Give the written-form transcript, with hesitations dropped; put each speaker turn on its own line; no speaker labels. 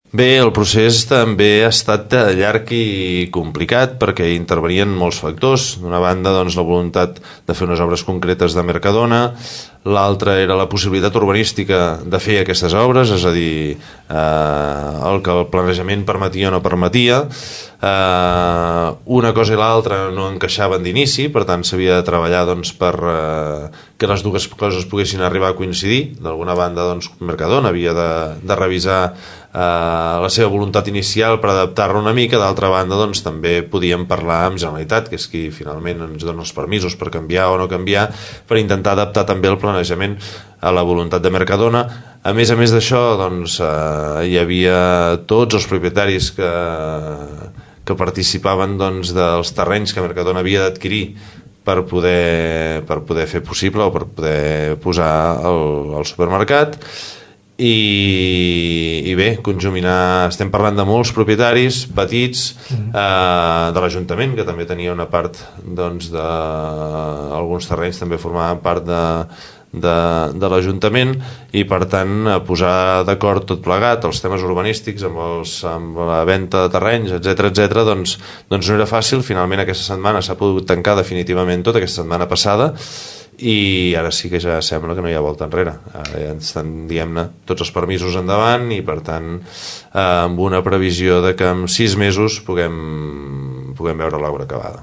Bé, el procés també ha estat llarg i complicat perquè intervenien molts factors. D'una banda, doncs, la voluntat de fer unes obres concretes de Mercadona, l'altra era la possibilitat urbanística de fer aquestes obres, és a dir, el que el planejament permetia o no permetia. Una cosa i l'altra no encaixaven d'inici, per tant s'havia de treballar, doncs, per que les dues coses poguessin arribar a coincidir. D'alguna banda, doncs, Mercadona havia de revisar la seva voluntat inicial per adaptar-la una mica. D'altra banda, doncs, també podíem parlar amb Generalitat, que és qui finalment ens dona els permisos per canviar o no canviar, per intentar adaptar també el planejament a la voluntat de Mercadona. A més d'això, doncs, hi havia tots els propietaris que participaven, doncs, dels terrenys que Mercadona havia d'adquirir per poder fer possible o per poder posar el supermercat. I bé, conjuminar, estem parlant de molts propietaris petits, de l'Ajuntament, que també tenia una part, doncs, alguns terrenys també formaven part de l'Ajuntament, i per tant posar d'acord tot plegat els temes urbanístics amb la venda de terrenys, etc, doncs no era fàcil. Finalment aquesta setmana s'ha pogut tancar definitivament tot, aquesta setmana passada, i ara sí que ja sembla que no hi ha volta enrere. Ara ja estan, diguem-ne, tots els permisos endavant, i per tant amb una previsió de que en 6 mesos puguem veure l'obra acabada.